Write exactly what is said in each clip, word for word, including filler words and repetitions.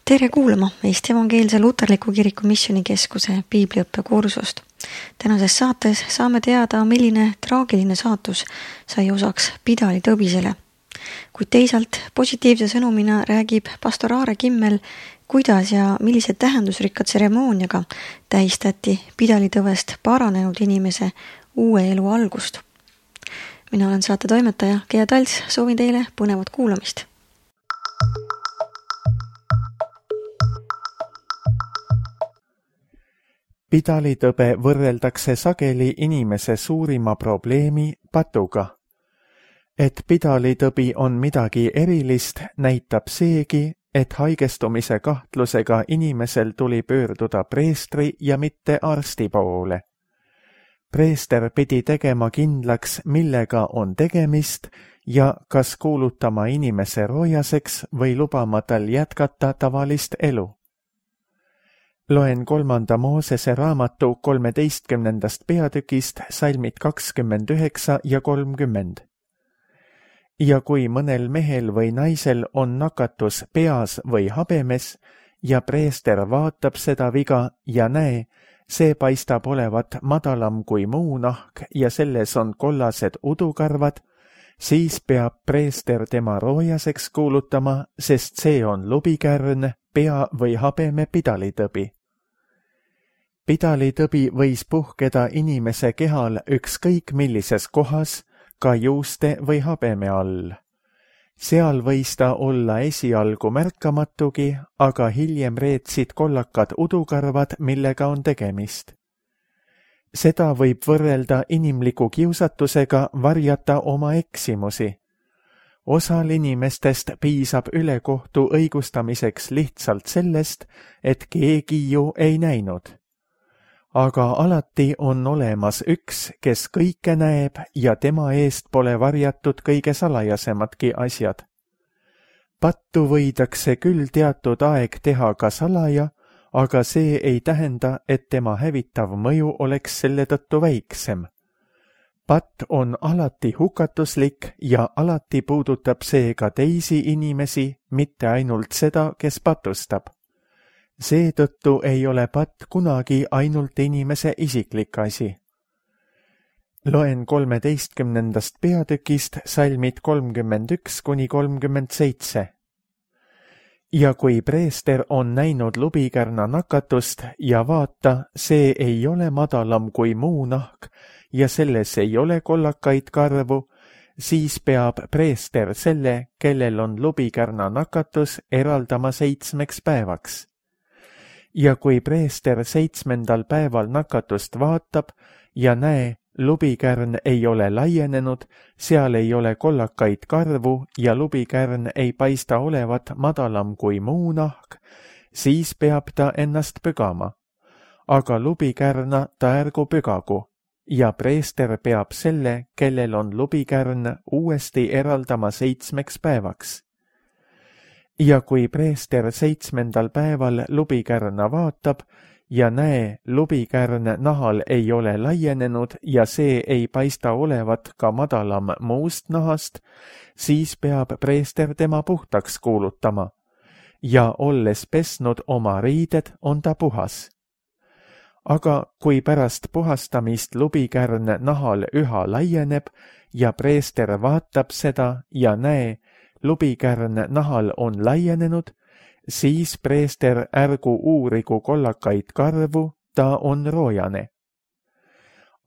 Tere kuulama Eesti Evangeelse Luterliku Kiriku Missioonikeskuse piibliõppekursust. Tänases saates saame teada, milline traagiline saatus sai osaks Pidali Tõbisele. Kuid teisalt positiivse sõnumina räägib pastor Aare Kimmel, kuidas ja millise tähendusrikka tseremooniaga tähistati Pidali Tõvest paranenud inimese uue elu algust. Mina olen saate toimetaja Gea Talts, soovin teile põnevat kuulamist. Pidali tõbe võrreldakse sageli inimese suurima probleemi patuga. Et Pidali tõbi on midagi erilist, näitab seegi, et haigestumise kahtlusega inimesel tuli pöörduda preestri ja mitte arsti poole. Preester pidi tegema kindlaks, millega on tegemist ja kas kuulutama inimese roojaseks või lubama tal jätkata tavalist elu. Loen kolmanda Moosese raamatu kolmeteistkümnendast peatükist salmid kakskümmend üheksa ja kolmkümmend. Ja kui mõnel mehel või naisel on nakatus peas või habemes ja preester vaatab seda viga ja näe, see paistab olevat madalam kui muu nahk ja selles on kollased udukarvad, siis peab preester tema roojaseks kuulutama, sest see on lubikärn, pea või habeme pidalitõbi. Pidalitõbi võis puhkeda inimese kehal ükskõik millises kohas, ka juuste või habeme all. Seal võis ta olla esialgu märkamatugi, aga hiljem reetsid kollakad udukarvad, millega on tegemist. Seda võib võrrelda inimliku kiusatusega varjata oma eksimusi. Osal inimestest piisab ülekohtu õigustamiseks lihtsalt sellest, et keegi ju ei näinud. Aga alati on olemas üks, kes kõike näeb ja tema eest pole varjatud kõige salajasematki asjad. Pattu võidakse küll teatud aeg teha ka salaja, aga see ei tähenda, et tema hävitav mõju oleks selle tõttu väiksem. Patt on alati hukatuslik ja alati puudutab see ka teisi inimesi, mitte ainult seda, kes patustab. Seetõttu ei ole patt kunagi ainult inimese isiklik asi. Loen kolmeteistkümnendast peatükist salmid kolmkümmend üks kuni kolmkümmend seitse. Ja kui preester on näinud lubikärna nakatust ja vaata, see ei ole madalam kui muu nahk ja selles ei ole kollakaid karvu, siis peab preester selle, kellel on lubikärna nakatus, eraldama seitsmeks päevaks. Ja kui preester seitsmendal päeval nakatust vaatab ja näe, lubikärn ei ole laienenud, seal ei ole kollakaid karvu ja lubikärn ei paista olevat madalam kui muu nahk, siis peab ta ennast pügama. Aga lubikärna ta ärgu pügagu ja preester peab selle, kellel on lubikärn, uuesti eraldama seitsmeks päevaks. Ja kui preester seitsmendal päeval lubikärna vaatab ja näe, lubikärn nahal ei ole laienenud ja see ei paista olevat ka madalam muust nahast, siis peab preester tema puhtaks kuulutama ja olles pesnud oma riided, on ta puhas. Aga kui pärast puhastamist lubikärn nahal üha laieneb ja preester vaatab seda ja näe, lubikärn nahal on laienenud, siis preester ärgu uurigu kollakaid karvu, ta on roojane.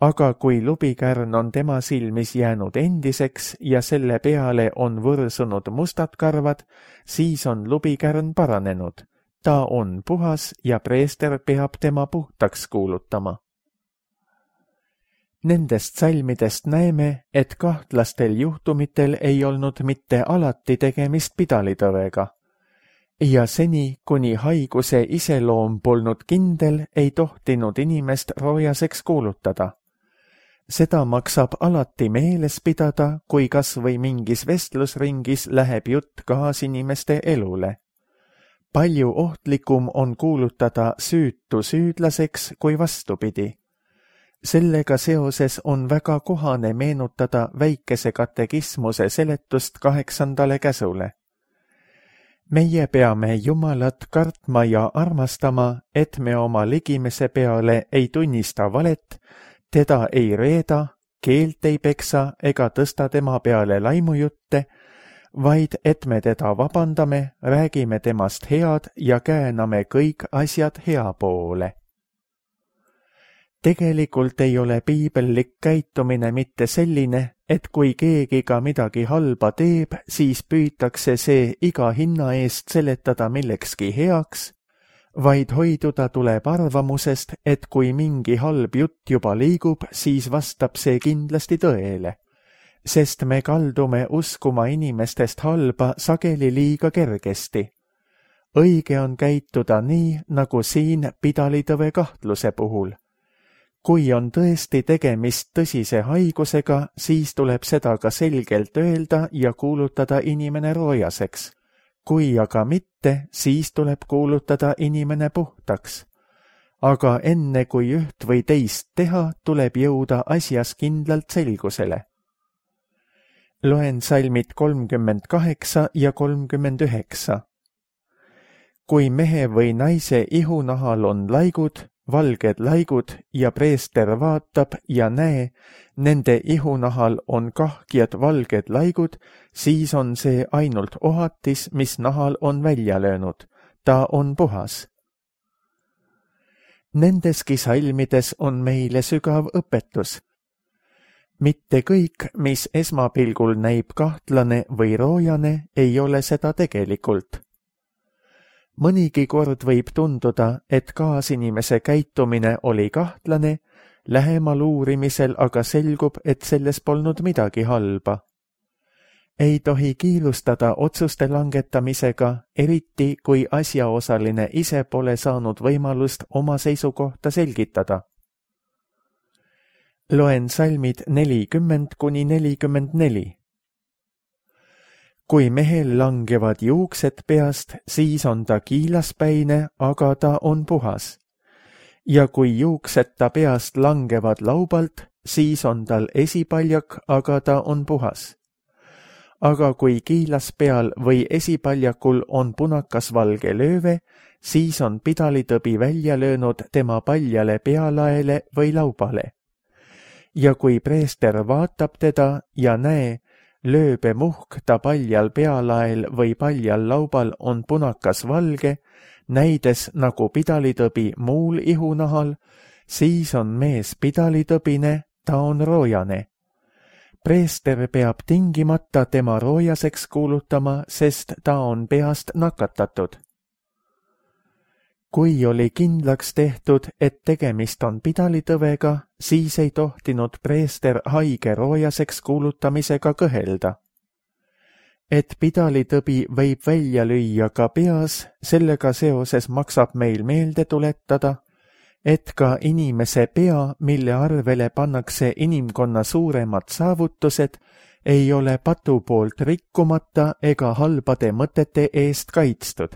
Aga kui lubikärn on tema silmis jäänud endiseks ja selle peale on võrsunud mustad karvad, siis on lubikärn paranenud. Ta on puhas ja preester peab tema puhtaks kuulutama. Nendest salmidest näeme, et kahtlastel juhtumitel ei olnud mitte alati tegemist pidalitõvega. Ja seni, kuni haiguse iseloom polnud kindel, ei tohtinud inimest roojaseks kuulutada. Seda maksab alati meeles pidada, kui kas või mingis vestlusringis läheb jutt kaasinimeste elule. Palju ohtlikum on kuulutada süütu süüdlaseks kui vastupidi. Sellega seoses on väga kohane meenutada väikese katekismuse seletust kaheksandale käsule. meie peame Jumalat kartma ja armastama, et me oma ligimese peale ei tunnista valet, teda ei reeda, keelt ei peksa ega tõsta tema peale laimujutte, vaid et me teda vabandame, räägime temast head ja kääname kõik asjad hea poole. Tegelikult ei ole piibellik käitumine mitte selline, et kui keegi ka midagi halba teeb, siis püütakse see iga hinna eest seletada millekski heaks, vaid hoiduda tuleb arvamusest, et kui mingi halb jutt juba liigub, siis vastab see kindlasti tõele, sest me kaldume uskuma inimestest halba sageli liiga kergesti. Õige on käituda nii, nagu siin pidalitõve kahtluse puhul. Kui on tõesti tegemist tõsise haigusega, siis tuleb seda ka selgelt öelda ja kuulutada inimene roojaseks. Kui aga mitte, siis tuleb kuulutada inimene puhtaks. Aga enne kui üht või teist teha, tuleb jõuda asjas kindlalt selgusele. Loen salmid kolmkümmend kaheksa ja kolmkümmend üheksa. Kui mehe või naise ihunahal on laigud, valged laigud ja preester vaatab ja näe, nende ihunahal on kahkjad valged laigud, siis on see ainult ohatis, mis nahal on välja löönud. Ta on puhas. Nendeski salmides on meile sügav õpetus. Mitte kõik, mis esmapilgul näib kahtlane või roojane, ei ole seda tegelikult. Mõnigi kord võib tunduda, et kaasinimese käitumine oli kahtlane, lähemal uurimisel aga selgub, et selles polnud midagi halba. Ei tohi kiirustada otsuste langetamisega, eriti kui asjaosaline ise pole saanud võimalust oma seisukohta selgitada. Loen salmid nelikümmend kuni nelikümmend neli. Kui mehel langevad juuksed peast, siis on ta kiilaspäine, aga ta on puhas. Ja kui juuksed ta peast langevad laubalt, siis on tal esipaljak, aga ta on puhas. Aga kui kiilas peal või esipaljakul on punakas valge lööve, siis on pidalitõbi välja löönud tema paljale pealaele või laubale. Ja kui preester vaatab teda ja näe, lööbe muhk ta paljal pealael või paljal laubal on punakas valge, näides nagu pidalitõbi muul ihunahal, siis on mees pidalitõbine, ta on roojane. Preester peab tingimata tema roojaseks kuulutama, sest ta on peast nakatatud. Kui oli kindlaks tehtud, et tegemist on pidalitõvega, siis ei tohtinud preester haige roojaseks kuulutamisega kõhelda. Et pidalitõbi võib välja lüüa ka peas, sellega seoses maksab meil meelde tuletada, et ka inimese pea, mille arvele pannakse inimkonna suuremad saavutused, ei ole patu poolt rikkumata ega halbade mõtete eest kaitstud.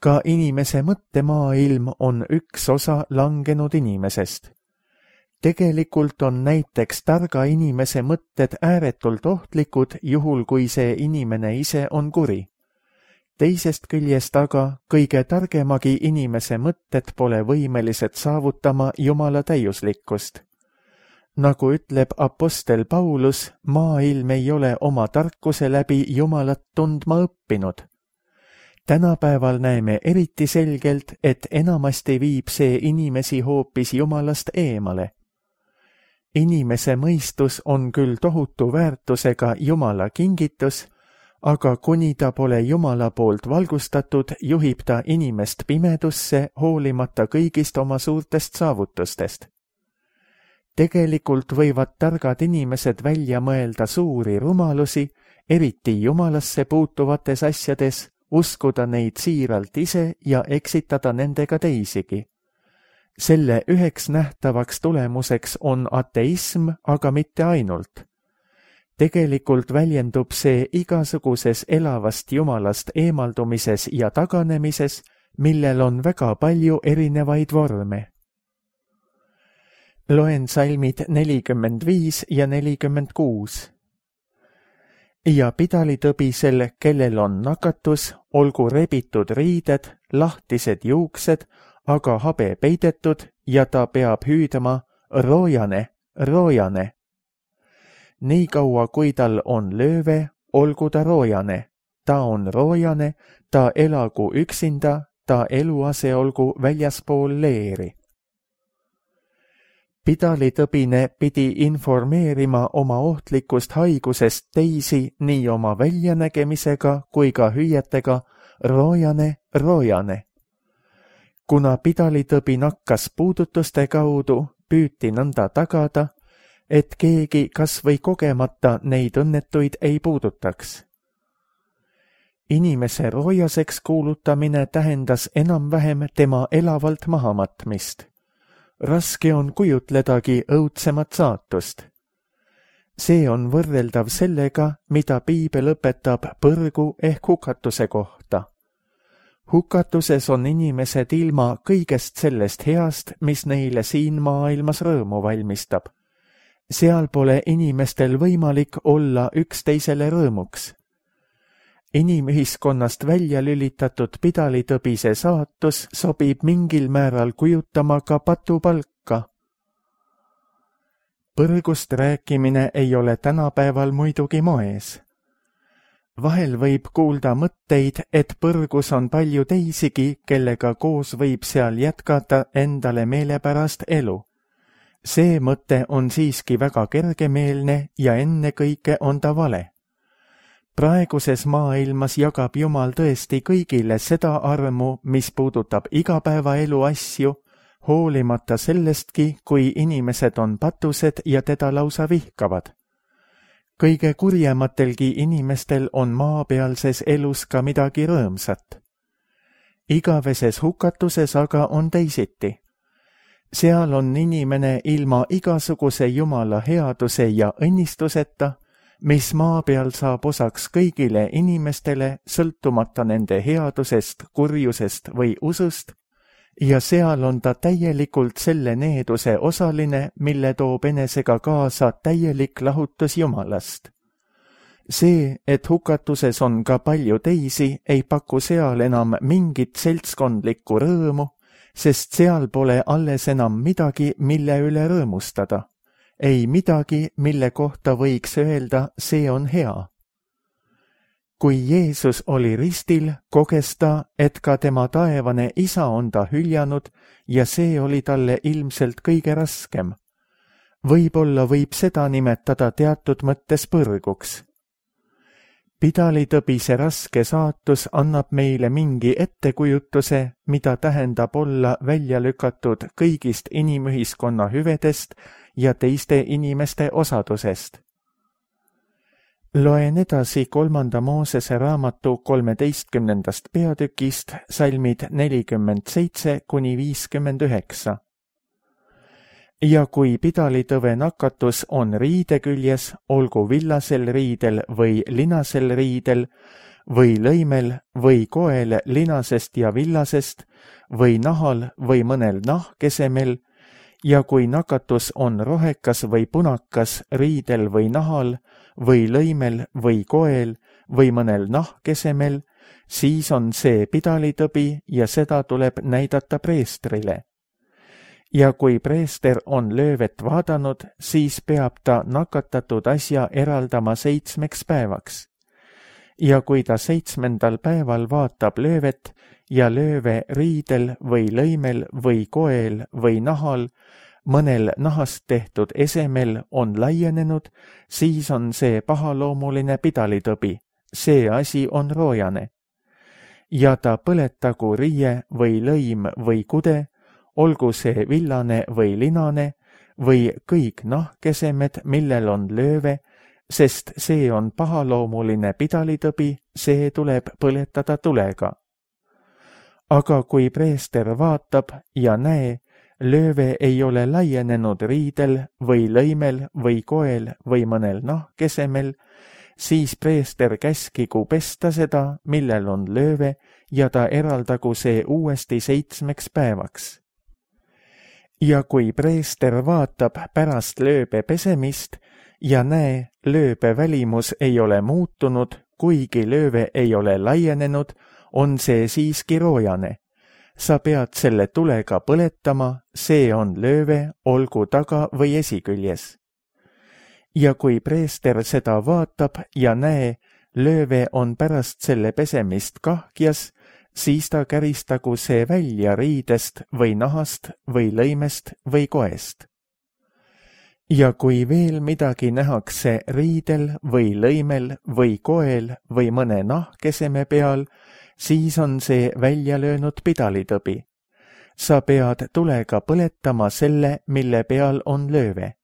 Ka inimese mõttemaailm on üks osa langenud inimesest. Tegelikult on näiteks targa inimese mõtted ääretult ohtlikud, juhul kui see inimene ise on kuri. Teisest küljest aga kõige targemagi inimese mõtted pole võimelised saavutama Jumala täiuslikkust. Nagu ütleb apostel Paulus, maailm ei ole oma tarkuse läbi Jumalat tundma õppinud. Tänapäeval näeme eriti selgelt, et enamasti viib see inimesi hoopis Jumalast eemale. Inimese mõistus on küll tohutu väärtusega Jumala kingitus, aga kuni ta pole Jumala poolt valgustatud, juhib ta inimest pimedusse hoolimata kõigist oma suurtest saavutustest. Tegelikult võivad targad inimesed välja mõelda suuri rumalusi, eriti Jumalasse puutuvates asjades, uskuda neid siiralt ise ja eksitada nendega teisigi. Selle üheks nähtavaks tulemuseks on ateism, aga mitte ainult. Tegelikult väljendub see igasuguses elavast Jumalast eemaldumises ja taganemises, millel on väga palju erinevaid vorme. Loen salmid nelikümmend viis ja nelikümmend kuus. ja pidalitõbisel, kellel on nakatus, olgu rebitud riided, lahtised juuksed, aga habe peidetud ja ta peab hüüdama roojane, roojane. Nii kaua, kui tal on lööve, olgu ta roojane. Ta on roojane, ta elagu üksinda, ta eluase olgu väljaspool leeri. Pidalitõbine pidi informeerima oma ohtlikust haigusest teisi nii oma väljanägemisega kui ka hüüetega roojane, roojane. Kuna pidalitõbi nakkas puudutuste kaudu, püüti nõnda tagada, et keegi kas või kogemata neid õnnetuid ei puudutaks. Inimese roojaseks kuulutamine tähendas enam-vähem tema elavalt mahamatmist. Raske on kujutledagi õudsemat saatust. See on võrreldav sellega, mida piibel õpetab põrgu ehk hukatuse kohta. Hukatuses on inimesed ilma kõigest sellest heast, mis neile siin maailmas rõõmu valmistab. Seal pole inimestel võimalik olla üksteisele rõõmuks. Inimühiskonnast välja lülitatud pidalitõbise saatus sobib mingil määral kujutama ka patupalka. Põrgust rääkimine ei ole tänapäeval muidugi moes. Vahel võib kuulda mõtteid, et põrgus on palju teisigi, kellega koos võib seal jätkata endale meelepärast elu. See mõte on siiski väga kergemeelne ja ennekõike on ta vale. Praeguses maailmas jagab Jumal tõesti kõigile seda armu, mis puudutab igapäevaelu asju, hoolimata sellestki, kui inimesed on patused ja teda lausa vihkavad. Kõige kurjematelgi inimestel on maapealses elus ka midagi rõõmsat. Igaveses hukatuses aga on teisiti. Seal on inimene ilma igasuguse Jumala headuse ja õnnistuseta, mis maa peal saab osaks kõigile inimestele, sõltumata nende headusest, kurjusest või usust, ja seal on ta täielikult selle needuse osaline, mille toob enesega kaasa täielik lahutus Jumalast. See, et hukatuses on ka palju teisi, ei paku seal enam mingit seltskondlikku rõõmu, sest seal pole alles enam midagi, mille üle rõõmustada. Ei midagi, mille kohta võiks öelda, see on hea. Kui Jeesus oli ristil, koges ta, et ka tema taevane isa on ta hüljanud ja see oli talle ilmselt kõige raskem. Võib-olla võib seda nimetada teatud mõttes põrguks. Pidalitõbise raske saatus annab meile mingi ettekujutuse, mida tähendab olla välja lükatud kõigist inimühiskonna hüvedest ja teiste inimeste osadusest. Loen edasi kolmanda Moosese raamatu kolmeteistkümnendast peatükist salmid nelikümmend seitse kuni viiskümmend üheksa. Ja kui pidalitõve nakatus on riide küljes, olgu villasel riidel või linasel riidel, või lõimel või koel linasest ja villasest, või nahal või mõnel nahkesemel, ja kui nakatus on rohekas või punakas riidel või nahal, või lõimel või koel või mõnel nahkesemel, siis on see pidalitõbi ja seda tuleb näidata preestrile. Ja kui preester on löövet vaadanud, siis peab ta nakatatud asja eraldama seitsmeks päevaks. Ja kui ta seitsmendal päeval vaatab löövet ja lööve riidel või lõimel või koel või nahal, mõnel nahast tehtud esemel on laienenud, siis on see pahaloomuline pidalitõbi, see asi on roojane. Ja ta põletagu riie või lõim või kude, olgu see villane või linane või kõik nahkesemed, millel on lööve, sest see on pahaloomuline pidalitõbi, see tuleb põletada tulega. Aga kui preester vaatab ja näe, lööve ei ole laienenud riidel või lõimel või koel või mõnel nahkesemel, siis preester käskigu pesta seda, millel on lööve, ja ta eraldagu see uuesti seitsmeks päevaks. Ja kui preester vaatab pärast lööbe pesemist ja näe, lööbe välimus ei ole muutunud, kuigi lööve ei ole laienenud, on see siiski roojane. Sa pead selle tulega põletama, see on lööve, olgu taga või esiküljes. Ja kui preester seda vaatab ja näe, lööve on pärast selle pesemist kahkjas, siis ta käristagu see välja riidest või nahast või lõimest või koest. Ja kui veel midagi nähakse riidel või lõimel või koel või mõne nahkeseme peal, siis on see välja löönud pidalitõbi. Sa pead tulega põletama selle, mille peal on lööve.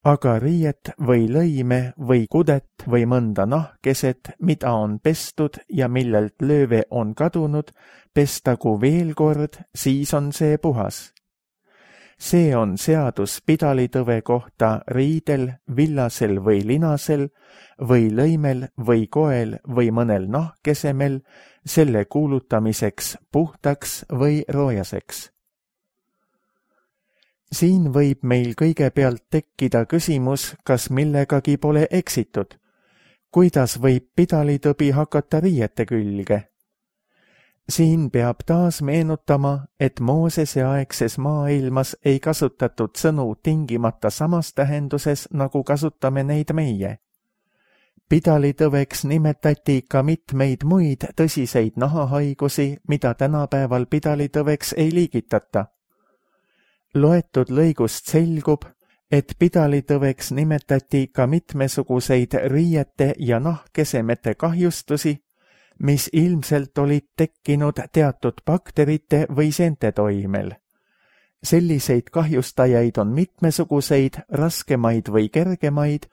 Aga riiet või lõime või kudet või mõnda nahkeset, mida on pestud ja millelt lööve on kadunud, pestagu veel kord, siis on see puhas. See on seadus pidalitõve kohta riidel, villasel või linasel või lõimel või koel või mõnel nahkesemel, selle kuulutamiseks puhtaks või roojaseks. Siin võib meil kõigepealt tekkida küsimus, kas millegagi pole eksitud. Kuidas võib pidalitõbi hakata riiete külge? Siin peab taas meenutama, et Moosese aegses maailmas ei kasutatud sõnu tingimata samas tähenduses, nagu kasutame neid meie. Pidalitõveks nimetati ka mitmeid muid tõsiseid nahahaigusi, mida tänapäeval pidalitõveks ei liigitata. Loetud lõigust selgub, et pidalitõveks nimetati ka mitmesuguseid riiete ja nahkesemete kahjustusi, mis ilmselt olid tekkinud teatud bakterite või seente toimel. Selliseid kahjustajaid on mitmesuguseid, raskemaid või kergemaid,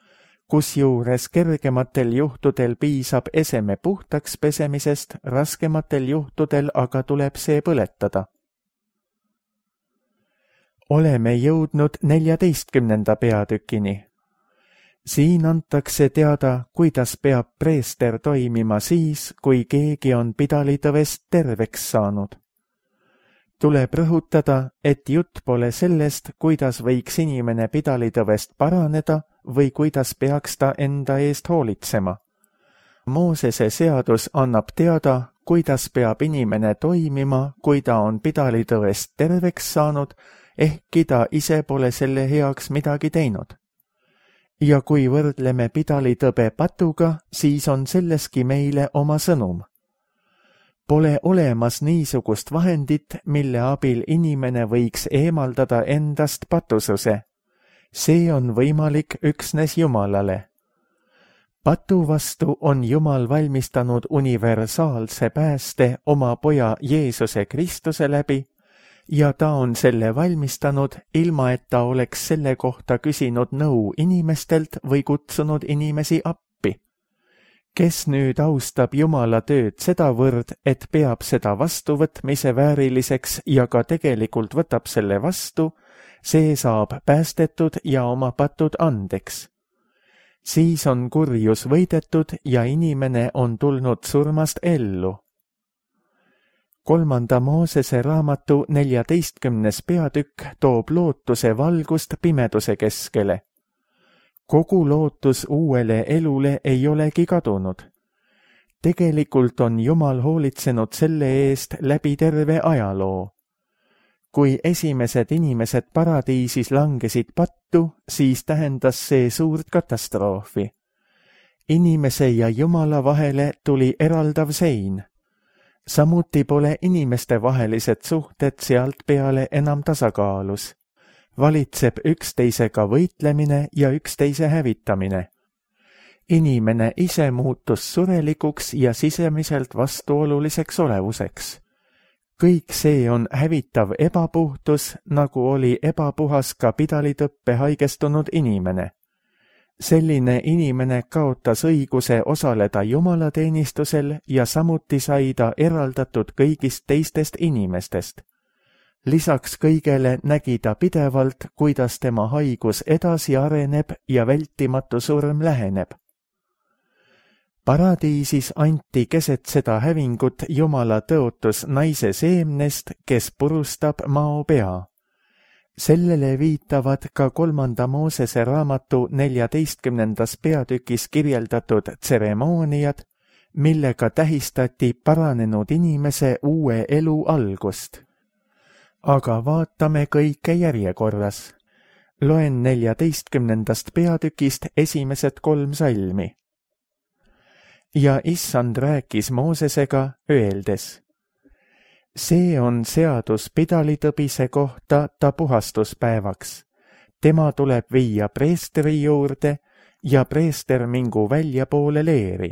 kusjuures kergematel juhtudel piisab eseme puhtaks pesemisest, raskematel juhtudel aga tuleb see põletada. Oleme jõudnud neljateistkümnenda peatükini. Siin antakse teada, kuidas peab preester toimima siis, kui keegi on pidalitõvest terveks saanud. Tuleb rõhutada, et jutt pole sellest, kuidas võiks inimene pidalitõvest paraneda või kuidas peaks ta enda eest hoolitsema. Moosese seadus annab teada, kuidas peab inimene toimima, kui ta on pidalitõvest terveks saanud, ehkki ta ise pole selle heaks midagi teinud. Ja kui võrdleme pidalitõbe patuga, siis on selleski meile oma sõnum. Pole olemas niisugust vahendit, mille abil inimene võiks eemaldada endast patususe. See on võimalik üksnes Jumalale. Patu vastu on Jumal valmistanud universaalse pääste oma poja Jeesuse Kristuse läbi, ja ta on selle valmistanud, ilma et ta oleks selle kohta küsinud nõu inimestelt või kutsunud inimesi appi. Kes nüüd austab Jumala tööd sedavõrd, et peab seda vastuvõtmise vääriliseks ja ka tegelikult võtab selle vastu, see saab päästetud ja oma patud andeks. Siis on kurjus võidetud ja inimene on tulnud surmast ellu. Kolmanda Moosese raamatu neljateistkümnes peatükk toob lootuse valgust pimeduse keskele. Kogu lootus uuele elule ei olegi kadunud. Tegelikult on Jumal hoolitsenud selle eest läbi terve ajaloo. Kui esimesed inimesed paradiisis langesid pattu, siis tähendas see suurt katastroofi. Inimese ja Jumala vahele tuli eraldav sein. Samuti pole inimeste vahelised suhted sealt peale enam tasakaalus. Valitseb üksteisega võitlemine ja üksteise hävitamine. Inimene ise muutus surelikuks ja sisemiselt vastuoluliseks olevuseks. Kõik see on hävitav ebapuhtus, nagu oli ebapuhas ka pidalitõppe haigestunud inimene. Selline inimene kaotas õiguse osaleda jumalateenistusel ja samuti sai ta eraldatud kõigist teistest inimestest. Lisaks kõigele nägi ta pidevalt, kuidas tema haigus edasi areneb ja vältimatu surm läheneb. Paradiisis anti keset seda hävingut Jumala tõotus naise seemnest, kes purustab mao pea. sellele viitavad ka kolmanda Moosese raamatu neljateistkümnendas peatükis kirjeldatud tseremooniad, millega tähistati paranenud inimese uue elu algust. Aga vaatame kõike järjekorras. Loen neljateistkümnendast peatükist esimesed kolm salmi. Ja issand rääkis Moosesega, öeldes: see on seadus pidalitõbise kohta ta puhastuspäevaks. Tema tuleb viia preestri juurde ja preester mingu väljapoole leeri.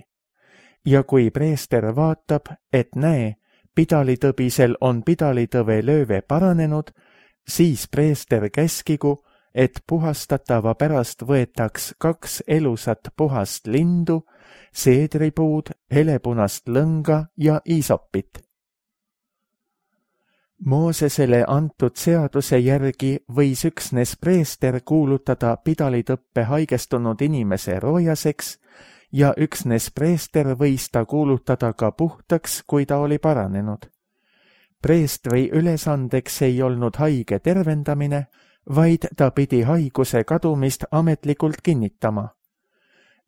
Ja kui preester vaatab, et näe, pidalitõbisel on pidalitõve lööve paranenud, siis preester käskigu, et puhastatava pärast võetaks kaks elusat puhast lindu, seedripuud, helepunast lõnga ja iisopit. Moosesele antud seaduse järgi võis üksnes preester kuulutada pidalitõppe haigestunud inimese roojaseks ja üksnes preester võis ta kuulutada ka puhtaks, kui ta oli paranenud. Preestri ülesandeks ei olnud haige tervendamine, vaid ta pidi haiguse kadumist ametlikult kinnitama.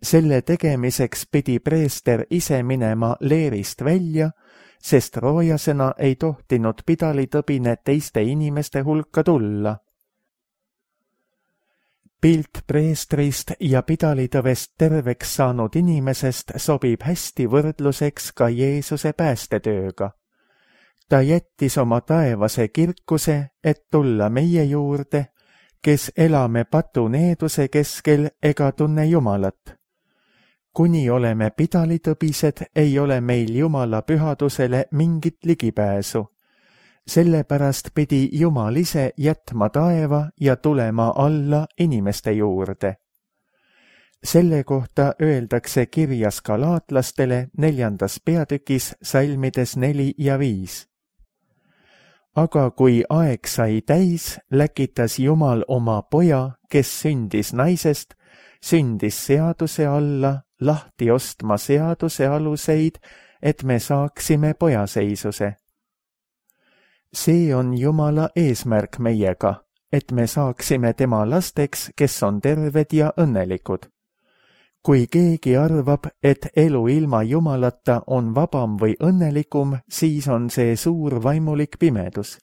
Selle tegemiseks pidi preester ise minema leerist välja, sest roojasena ei tohtinud pidalitõbine teiste inimeste hulka tulla. Pilt preestrist ja pidalitõvest terveks saanud inimesest sobib hästi võrdluseks ka Jeesuse päästetööga. Ta jättis oma taevase kirkuse, et tulla meie juurde, kes elame patuneeduse keskel ega tunne Jumalat. Kuni oleme pidalitõbised, ei ole meil Jumala pühadusele mingit ligipääsu. Sellepärast pidi Jumal ise jätma taeva ja tulema alla inimeste juurde. Selle kohta öeldakse kirjas galaatlastele neljandas peatükis salmides neli ja viis. Aga kui aeg sai täis, läkitas Jumal oma poja, kes sündis naisest, sündis seaduse alla, lahti ostma seaduse aluseid, et me saaksime pojaseisuse. See on Jumala eesmärk meiega, et me saaksime tema lasteks, kes on terved ja õnnelikud. Kui keegi arvab, et elu ilma Jumalata on vabam või õnnelikum, siis on see suur vaimulik pimedus.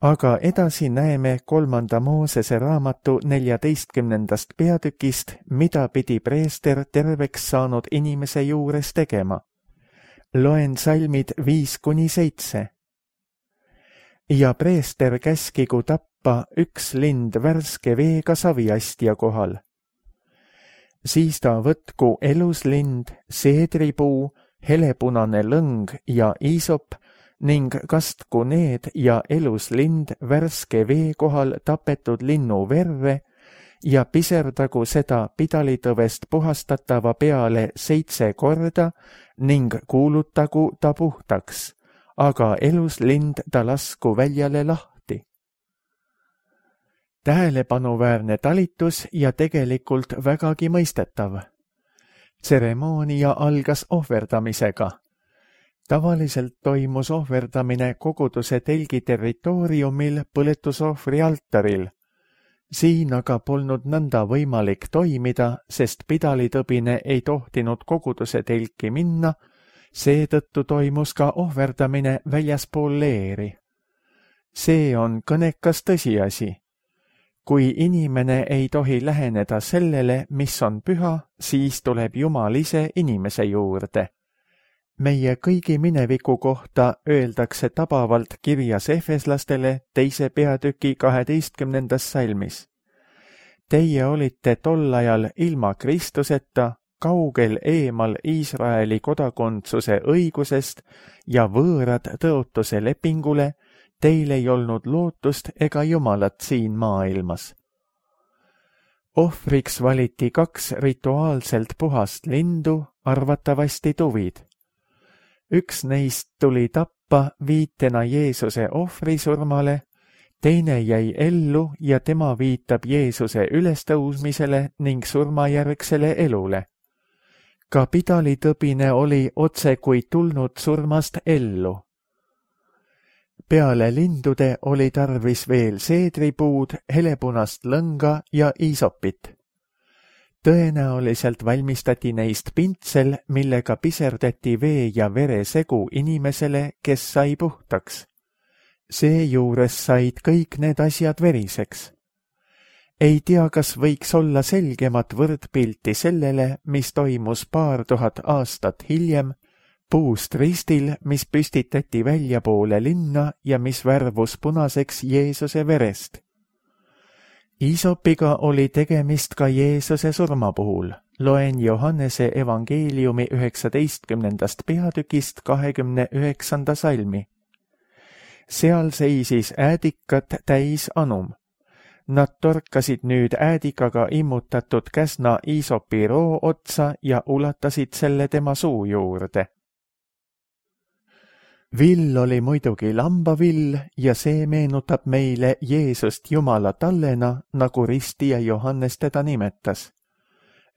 Aga edasi näeme kolmanda Moosese raamatu neljateistkümnendast peatükist, mida pidi preester terveks saanud inimese juures tegema. Loen salmid viis kuni seitse. Ja preester käskigu tappa üks lind värske veega saviastja kohal. Siis ta võtku eluslind, seedripuu, helepunane lõng ja iisop ning kastku need ja eluslind värske vee kohal tapetud linnu verre ja piserdagu seda pidalitõvest puhastatava peale seitse korda ning kuulutagu ta puhtaks, aga eluslind ta lasku väljale lahti. Tähelepanuväärne talitus ja tegelikult vägagi mõistetav. Tseremoonia algas ohverdamisega. Tavaliselt toimus ohverdamine koguduse telgi territooriumil põletusohvri altaril. Siin aga polnud nõnda võimalik toimida, sest pidalitõbine ei tohtinud koguduse telki minna, seetõttu toimus ka ohverdamine väljaspool leeri. See on kõnekas tõsiasi. Kui inimene ei tohi läheneda sellele, mis on püha, siis tuleb Jumal ise inimese juurde. Meie kõigi mineviku kohta öeldakse tabavalt kirjas efeslastele teise peatüki kaheteistkümnendas salmis. Teie olite tol ajal ilma Kristuseta, kaugel eemal Iisraeli kodakondsuse õigusest ja võõrad tõotuse lepingule, teil ei olnud lootust ega Jumalat siin maailmas. Ohvriks valiti kaks rituaalselt puhast lindu, arvatavasti tuvid. Üks neist tuli tappa viitena Jeesuse ohvrisurmale, teine jäi ellu ja tema viitab Jeesuse ülestõusmisele ning surmajärgsele elule. Ka pidalitõbine oli otse kui tulnud surmast ellu. Peale lindude oli tarvis veel seedripuud, helepunast lõnga ja iisopit. Tõenäoliselt valmistati neist pintsel, millega piserdati vee ja vere segu inimesele, kes sai puhtaks. Seejuures said kõik need asjad veriseks. Ei tea, kas võiks olla selgemat võrdpilti sellele, mis toimus paar tuhat aastat hiljem, puust ristil, mis püstitati väljapoole linna ja mis värvus punaseks Jeesuse verest. Iisopiga oli tegemist ka Jeesuse surma puhul. Loen Johannese evangeeliumi üheksateistkümnendast peatükist kahekümne üheksanda salmi. Seal seisis äädikat täis anum. Nad torkasid nüüd äädikaga immutatud käsna iisopi roo otsa ja ulatasid selle tema suu juurde. Vill oli muidugi lambavill ja see meenutab meile Jeesust Jumala tallena, nagu ristija Johannes teda nimetas.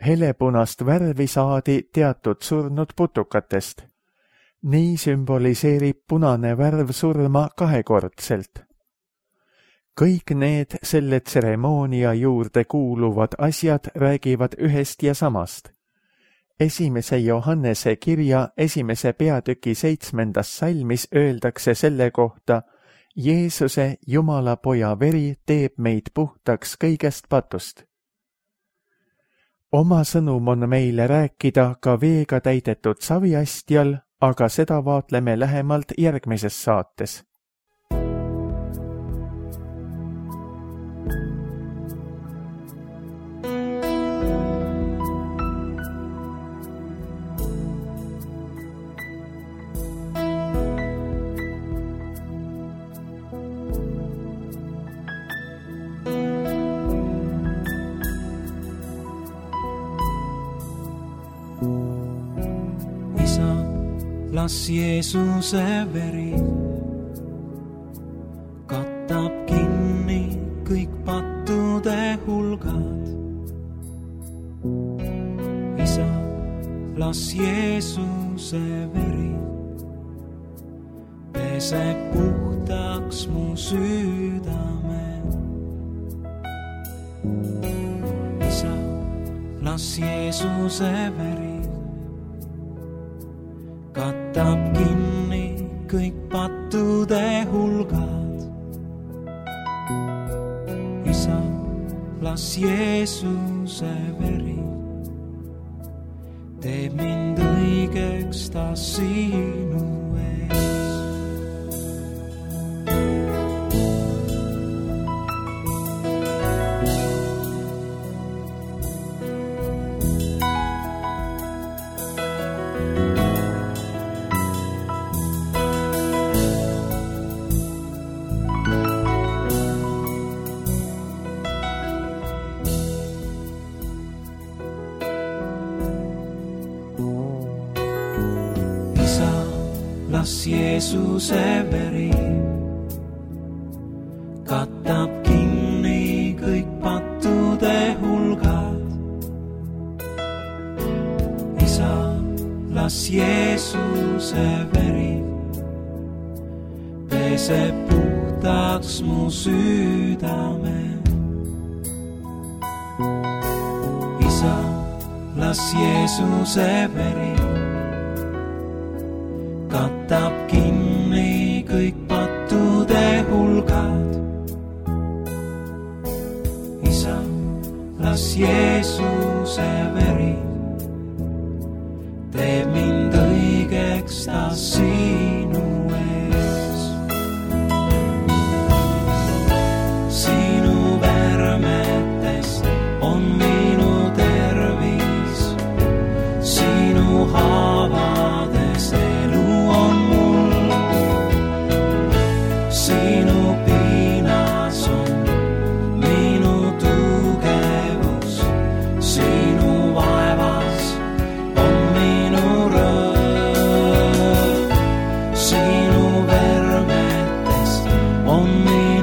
Helepunast värvi saadi teatud surnud putukatest. Nii sümboliseerib punane värv surma kahekordselt. Kõik need selle tseremoonia juurde kuuluvad asjad räägivad ühest ja samast. Esimese Johannese kirja esimese peatüki seitsmendas salmis öeldakse selle kohta: Jeesuse, Jumala poja veri teeb meid puhtaks kõigest patust. Oma sõnum on meile rääkida ka veega täidetud saviastjal, aga seda vaatleme lähemalt järgmises saates. Las Jeesuse veri katab kinni kõik pattude hulgad. Isa, las Jeesuse veri peseb puhtaks mu südame. Isa, las Jeesuse veri katab kinni kõik pattude hulgad. Isa, las Jeesuse veri teeb mind õigeks ta sinu ees. Las Jeesuse veri katab kinni kõik pattude hulgad. Isa, las Jeesuse veri peseb puhtaks mu südame. Isa, las Jeesuse veri katab kinni kõik pattude hulgad. Isa, las Jeesuse veri teeb mind õigeks ta sinu ees. Sinu värmetes on minu tervis, sinu haavades elu on mul. Sinu piinas on minu tugevus, sinu vaevas on minu rõõm. Sinu värmetes on minu